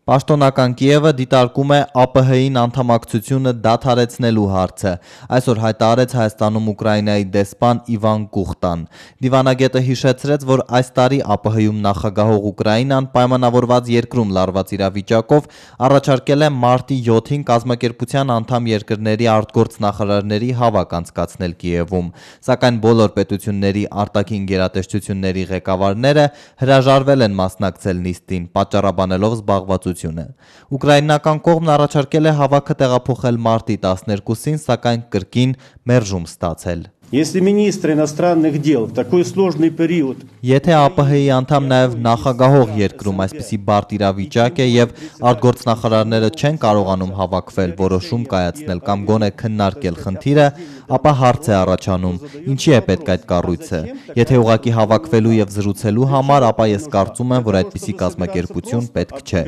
Պաշտոնական Կիևը դիտարկում է ԱՊՀ-ին անդամակցությունը դադարեցնելու հարցը։ Այսօր հայտարարեց Հայաստանում Ուկրաինայի դեսպան Իվան Կուխտան։ Դիվանագետը հիշեցրեց, որ այս տարի ԱՊՀ-ում նախագահող Ուկրաինան պայմանավորված երկրում լարված իրավիճակով առաջարկել է մարտի 7-ին կազմակերպության անդամ երկրների արտգործնախարարների հավաք անցկացնել Կիևում, սակայն բոլոր պետությունների արտաքին գերատեսչությունների ղեկավարները հրաժարվել են մասնակցել նիստին, պատճառաբանելով զբաղվածություն։ Ուկրաինական կողմն առաջարկել է հավաքը տեղափոխել մարտի 12-ին, սակայն կրկին մերժում ստացել։ Если министр иностранных дел в такой сложный период Եթե ԱՊՀ-ի անդամ նաև նախագահող երկրում այսպիսի բարդ իրավիճակ է եւ արտգործնախարարները չեն կարողանում հավաքվել, որոշում կայացնել կամ գոնե քննարկել խնդիրը, ապա հարց է առաջանում, ինչի է պետք այդ կառույցը։ Եթե ուղղակի հավաքվելու եւ զրուցելու համար, ապա ես կարծում եմ, որ այդպիսի կազմակերպություն պետք չէ։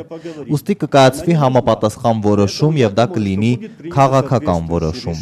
Ուստի կկայացվի համապատասխան որոշում եւ դա կլինի քաղաքական որոշում։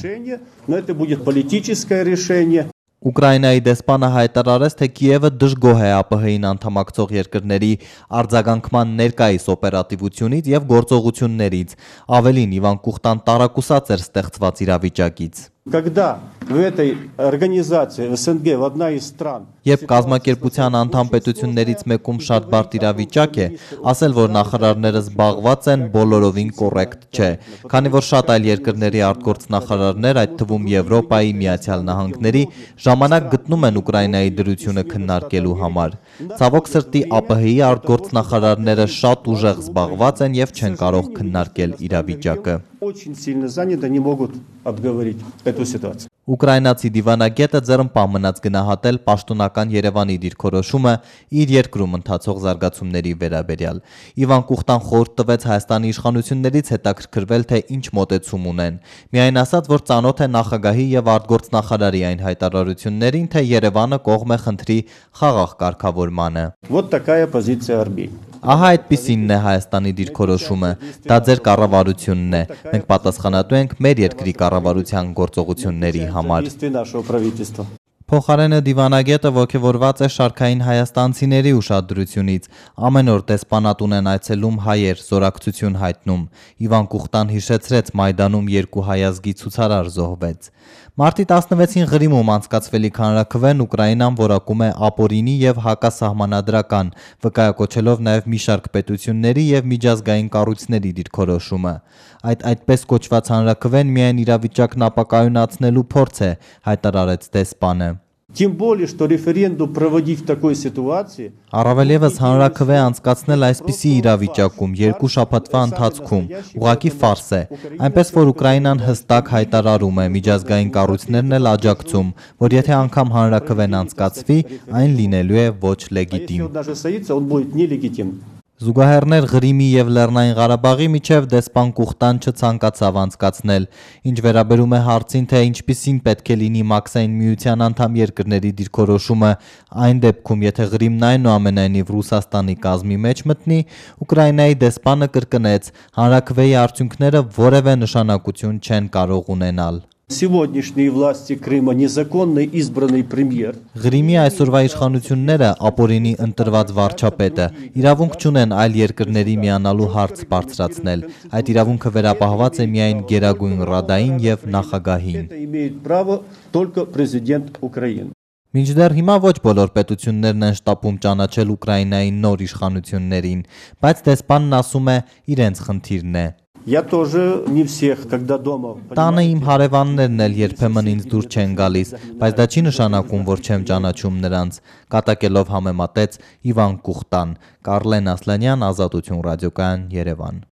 Но это будет политическое решение. Ուկրաինայի դեսպանը հայտարարեց, թե Կիևը դժգոհ է ԱՊՀ-ին անդամակցող երկրների արձագանքման ներկայիս օպերատիվությունից եւ գործողություններից։ Ավելին, Իվան Կուխտան տարակուսած էր ստեղծված իրավիճակից։ Когда в этой организации в СНГ в одна из стран Երբ կազմակերպության անդամ պետություններից մեկում շատ բարդ իրավիճակ է, ասել, որ նախարարները զբաղված են, բոլորովին կոռեկտ չէ, քանի որ շատ այլ երկրների արտգործնախարարներ, այդ թվում Եվրոպայի, Միացյալ Նահանգների, ժամանակ գտնում են Ուկրաինայի դրությունը քննարկելու համար։ Ցավոք սրտի ԱՊՀ-ի արտգործնախարարները շատ ուժեղ զբաղված են եւ չեն կարող քննարկել իրավիճակը։ очень сильно заняты, не могут обговорить эту ситуацию. Ուկրաինացի դիվանագետը ձեռնպահ մնաց գնահատել պաշտոնական Երևանի դիրքորոշումը իր երկրում ընթացող զարգացումների վերաբերյալ։ Իվան Կուխտան խորհուրդ տվեց Հայաստանի իշխանություններից հետաքրքրվել, թե ինչ մոտեցում ունեն։ Միայն ասաց, որ ծանոթ է նախագահի եւ արտգործնախարարի այն հայտարարություններին, թե Երևանը կողմ է խնդրի խաղաղ կարգավորմանը։ Вот такая позиция Армении. Ահա այդպիսինն է Հայաստանի դիրքորոշումը, դա ձեր կառավարությունն է, մենք պատասխանատու ենք մեր երկրի կառավարության գործողությունների համար։ Փոխարենը դիվանագետը ոգևորված է շարքային հայաստանցիների ուշադրությունից, ամեն օր դեսպանատուն են այցելում հայեր, զորակցություն հայտնում։ Իվան Կուխտան հիշեցրեց Մայդանում երկու հայ ազգի ցուցարար զոհվեց։ Մարտի 16-ին Ղրիմում անցկացվելիք հանրաքվեն Ուկրաինան որակում է ապօրինի եւ հակասահմանադրական, վկայակոչելով նաեւ մի շարք պետությունների եւ միջազգային կառույցների դիրքորոշումը։ Այդ այդպես կոչված հանրաքվեն միայն իրավիճակն ապակայունացնելու փորձ է, հայտարարեց դեսպանը։ Тем более, что референдум проводить в такой ситуации Առավել եւս հանրաքվե անցկացնել այսպիսի իրավիճակում երկու շաբաթվա ընթացքում ուղղակի ֆարս է, այնպես որ Ուկրաինան հստակ հայտարարում է, միջազգային կառույցներն էլ աջակցում, որ եթե անգամ հանրաքվեն անցկացվի, այն լինելու է ոչ լեգիտիմ։ даже состоится, он будет нелегитимным. Զուգահեռներ Ղրիմի եւ Լեռնային Ղարաբաղի միջև դեսպան Կուխտան չցանկացավ անցկացնել, ինչ վերաբերում է հարցին, թե ինչպիսին պետք է լինի Մաքսային միության անդամ երկրների դիրքորոշումը այն դեպքում, եթե Ղրիմն այնուամենայնիվ Ռուսաստանի կազմի մեջ մտնի, Ուկրաինայի դեսպանը կրկնեց, հանրաքվեի արդյունքները որևէ նշանակություն չեն կարող ունենալ։ Сегодняшние власти Крыма незаконно избранный премьер. Ղրիմի այսօրվա իշխանությունները ապօրինի ընտրված վարչապետը իրավունք չունեն այլ երկրների միանալու հարց բարձրացնել։ Այդ իրավունքը վերապահված է միայն Գերագույն Ռադային եւ նախագահին։ Это имеет право только президент Украины. Մինչդեռ հիմա ոչ բոլոր պետություններն են շտապում ճանաչել Ուկրաինայի նոր իշխանություններին, բայց դեսպանն ասում է իրենց խնդիրն է։ Я тоже не всех, когда дома. Տանը իմ հարևաններն էլ երբեմն ինձ դուր չեն գալիս, բայց դա չի նշանակում, որ չեմ ճանաչում նրանց, կատակելով համեմատեց Իվան Կուխտան։ Կարլեն Ասլանյան, Ազատություն ռադիոկայան, Երևան։